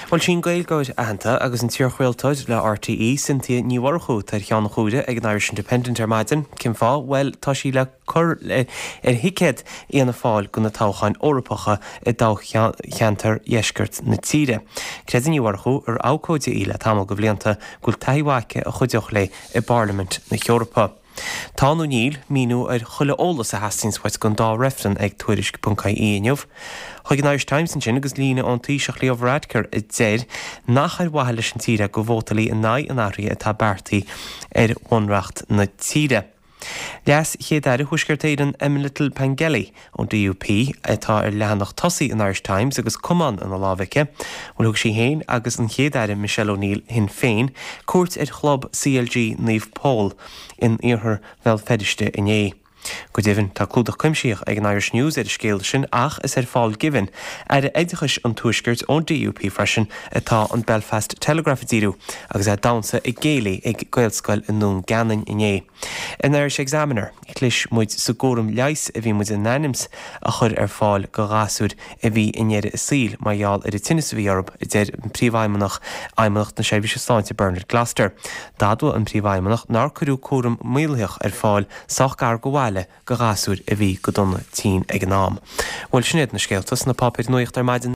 Bhuel, sí an Gaeilgeoir aitheanta agus an t-iarchraoltóir le RTÉ, Cynthia Ní Mhurchú, atá ar cheann na huaire ag an Irish Independent ar maidin. Cén fáth? Bhuel, tá sí le cur ar thicéad Fhianna Fáil do na toghcháin Eorpacha i dtoghcheantar dheisceart na tíre. Creideann Ní Mhurchú, ar abhcóide í le tamall de bhlianta, go bhfuil taithí mhaith aici a chuideodh léi i bParlaimint na hEorpa. Tá nó níl míniú ar chuile eolas a theastaíonns uait don dá reifreann ag Tuairisc.ie inniu. Chuig an Irish Times ansin agus líne ón Taoiseach Leo Varadkar a deir nach ar mhaithe leis an tír é go vótálfaí in aghaidh an athraithe atá beartaithe ar bhunreacht na tíre. Leas-Chéad Aire Thuaisceart Éireann Emma Little Pengelly ón DUP atá ar leathanach tosaigh an Irish Times agus camán ina lámh aici. Bhuel thug sí féin agus an Chéad Aire Michelle O'Neill Shinn Féin cuairt ar chlub CLG Naomh Pól in iarthar Bhéal Feirste inné. Go deimhin, tá clúdach cuimsitheach ag an Irish News ar an scéal sin ach is ar Phaul Givan, Aire Oideachais an Tuaiscirt ón DUP freisin, atá an Belfast Telegraph ag díriú agus é ag damhsa ag céilí ag Gaelscoil i nDún Geanainn inné. In Irish Examiner, chlis muid sa gcúram leighis a bhí muid in ainm's a chur ar fáil go ghasúir a bhí i ndeireadh a saoil mar gheall ar an tinneas a bhí orthu, a deir Príomhfheidhmeannach Fheidhmeannacht na Seirbhíse Sláinte Bernard Gloster. D'admhaigh an Príomhfheidhmeannach nár cuireadh cúram maolaitheach ar fáil sách gar go bhaile go ghasúir a bhí go dona tinn ag an am. Bhuel, sin iad na scéalta sna páipéir nuachta ar maidin.